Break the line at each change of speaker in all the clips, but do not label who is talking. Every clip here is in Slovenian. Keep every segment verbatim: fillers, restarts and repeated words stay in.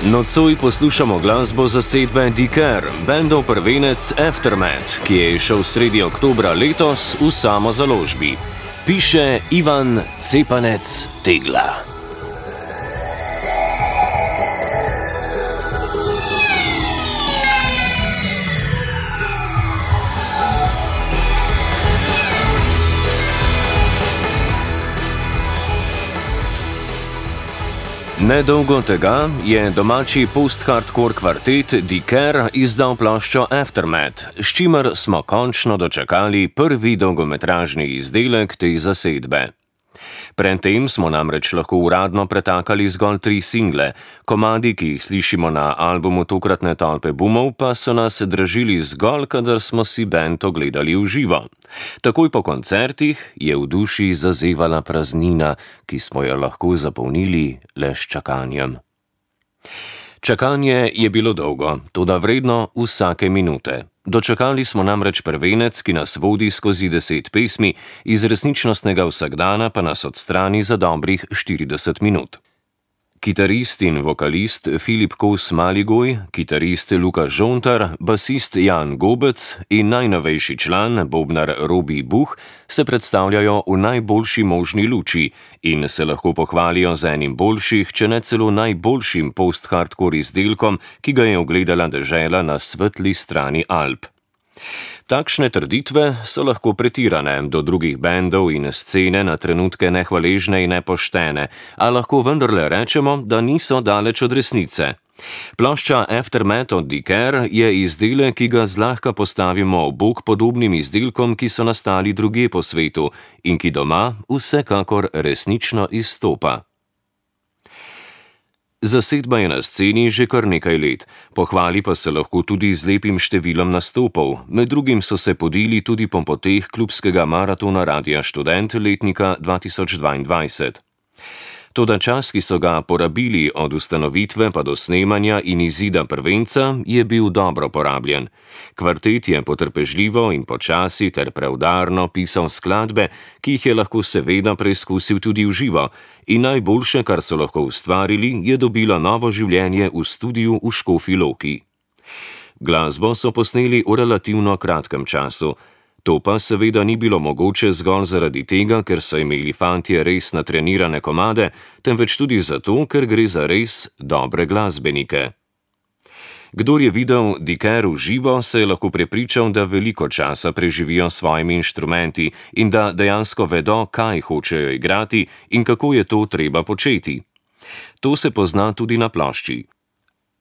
Nocoj poslušamo glasbo zasedbe Diker, bendov prvenec Aftermath, ki je šel sredi oktobra letos v samozaložbi. Piše Ivan Cepanec Tegla. Nedolgo tega je domači post-hardcore kvartet Diker izdal ploščo Aftermath, s čimer smo končno dočakali prvi dolgometražni izdelek te zasedbe. Pred tem smo namreč lahko uradno pretakali zgolj tri single, komadi, ki jih slišimo na albumu tokratne tolpe bumov, pa so nas dražili zgolj, kadar smo si bend ogledali v živo. Takoj po koncertih je v duši zazevala praznina, ki smo jo lahko zapolnili le s čakanjem. Čakanje je bilo dolgo, toda vredno vsake minute. Dočakali smo namreč prvenec, ki nas vodi skozi deset pesmi, iz resničnostnega vsakdana pa nas odstrani za dobrih štirideset minut. Kitarist in vokalist Filip Kos Maligoj, kitarist Luka Žontar, basist Jan Gobec in najnovejši član, bobnar Robi Buh, se predstavljajo v najboljši možni luči in se lahko pohvalijo z enim boljših, če ne celo najboljšim post-hardcore izdelkom, ki ga je ogledala dežela na svetli strani Alp. Takšne trditve so lahko pretirane, do drugih bendov in scene na trenutke nehvaležne in nepoštene, a lahko vendarle rečemo, da niso daleč od resnice. Plošča Aftermath od Diker je izdelek, ki ga zlahka postavimo ob bok podobnim izdelkom, ki so nastali drugje po svetu in ki doma vsekakor resnično izstopa. Zasedba je na sceni že kar nekaj let, pohvali pa se lahko tudi z lepim številom nastopov, med drugim so se podili tudi po poteh klubskega maratona Radia Študent letnika dva tisoč dvaindvajset. Toda čas, ki so ga porabili od ustanovitve pa do snemanja in izida prvenca, je bil dobro porabljen. Kvartet je potrpežljivo in počasi ter preudarno pisal skladbe, ki jih je lahko seveda preizkusil tudi v živo, in najboljše, kar so lahko ustvarili, je dobilo novo življenje v studiu v Škofji Loki. Glasbo so posneli v relativno kratkem času. To pa seveda ni bilo mogoče zgolj zaradi tega, ker so imeli fantje res natrenirane komade, temveč tudi zato, ker gre za res dobre glasbenike. Kdor je videl Diker v živo, se je lahko prepričal, da veliko časa preživijo s svojimi inštrumenti in da dejansko vedo, kaj hočejo igrati in kako je to treba početi. To se pozna tudi na plošči.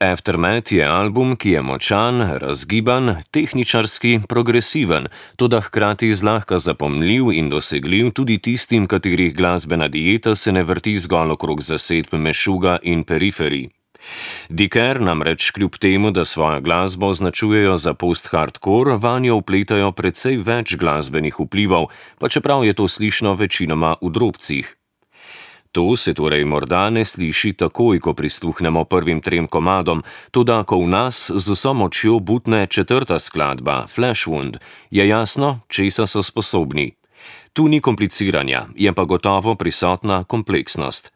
Aftermath je album, ki je močan, razgiban, tehničarski, progresiven, toda hkrati zlahka zapomnljiv in dosegljiv tudi tistim, katerih glasbena dieta se ne vrti zgolj okrog zasedb Mešuga in Periferij. Diker namreč kljub temu, da svojo glasbo označujejo za post-hardcore, vanjo vpletajo precej več glasbenih vplivov, pa čeprav je to slišno večinoma v drobcih. To se torej morda ne sliši takoj, ko prisluhnemo prvim trem komadom, toda ko v nas z vso močjo butne četrta skladba, Flashwound, je jasno, česa so sposobni. Tu ni kompliciranja, je pa gotovo prisotna kompleksnost.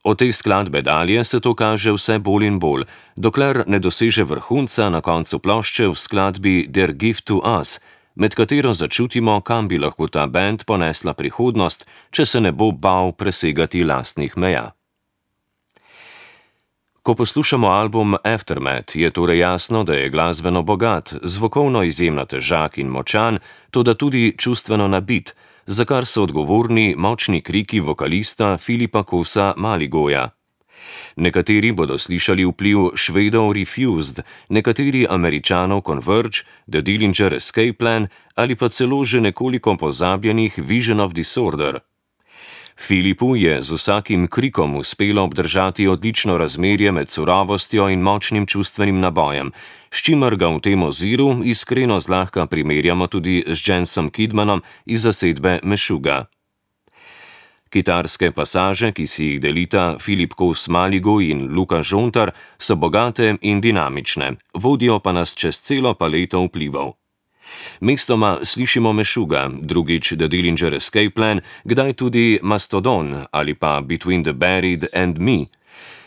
Od te skladbe dalje se to kaže vse bolj in bolj, dokler ne doseže vrhunca na koncu plošče v skladbi Der Gift to Us, med katero začutimo, kam bi lahko ta bend ponesla prihodnost, če se ne bo bal presegati lastnih meja. Ko poslušamo album Aftermath, je torej jasno, da je glasbeno bogat, zvokovno izjemno težak in močan, toda tudi čustveno nabit, za kar so odgovorni močni kriki vokalista Filipa Kosa Maligoja. Nekateri bodo slišali vpliv Švedov Refused, nekateri Američanov Converge, The Dillinger Escape Plan ali pa celo že nekoliko pozabljenih Vision of Disorder. Filipu je z vsakim krikom uspelo obdržati odlično razmerje med surovostjo in močnim čustvenim nabojem, s čimer ga v tem oziru iskreno zlahka primerjamo tudi z Jensom Kidmanom iz zasedbe Mešuga. Kitarske pasaže, ki si jih delita Filip Kos Maligoj in Luka Žontar, so bogate in dinamične, vodijo pa nas čez celo paleto vplivov. Mestoma slišimo Mešuga, drugič The Dillinger Escape Plan, kdaj tudi Mastodon ali pa Between the Buried and Me.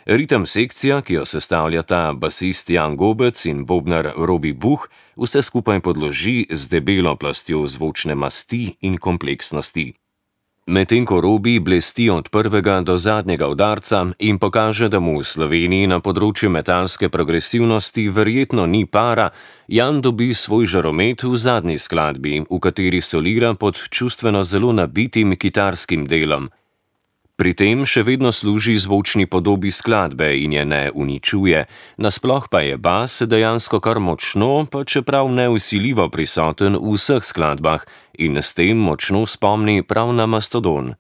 Ritem sekcija, ki jo sestavljata basist Jan Gobec in bobnar Robi Buh, vse skupaj podloži z debelo plastjo zvočne masti in kompleksnosti. Medtem ko Robi blesti od prvega do zadnjega udarca in pokaže, da mu v Sloveniji na področju metalske progresivnosti verjetno ni para, Jan dobi svoj žaromet v zadnji skladbi, v kateri solira pod čustveno zelo nabitim kitarskim delom. Pri tem še vedno služi zvočni podobi skladbe in je ne uničuje, nasploh pa je bas dejansko kar močno, pa čeprav nevsiljivo prisoten v vseh skladbah in s tem močno spomni prav na Mastodon.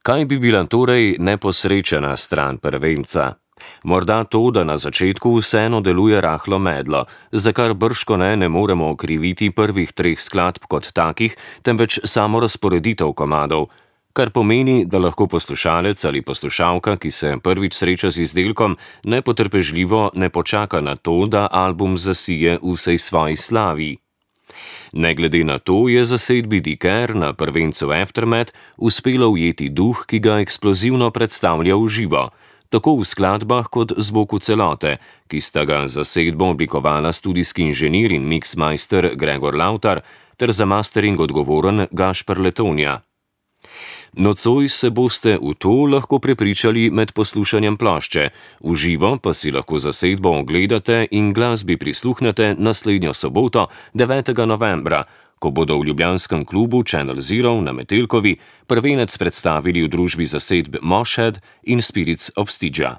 Kaj bi bila torej neposrečena stran prvenca? Morda to, da na začetku vseeno deluje rahlo medlo, za kar bržkone ne moremo okriviti prvih treh skladb kot takih, temveč samo razporeditev komadov, kar pomeni, da lahko poslušalec ali poslušalka, ki se prvič sreča z izdelkom, nepotrpežljivo ne počaka na to, da album zasije v vsej svoji slavi. Ne glede na to je zasedbi Diker na prvencu Aftermath uspelo ujeti duh, ki ga eksplozivno predstavlja v živo, tako v skladbah kot zvoku celote, ki sta ga zasedbo oblikovala studijski inženir in mixmeister Gregor Lautar ter za mastering odgovoren Gašper Letonja. Nocoj se boste v to lahko prepričali med poslušanjem plošče, v živo pa si lahko zasedbo ogledate in glasbi prisluhnete naslednjo soboto, devetega novembra, ko bodo v ljubljanskem klubu Channel Zero na Metelkovi prvenec predstavili v družbi zasedb Moshhead in Spirits of Stygia.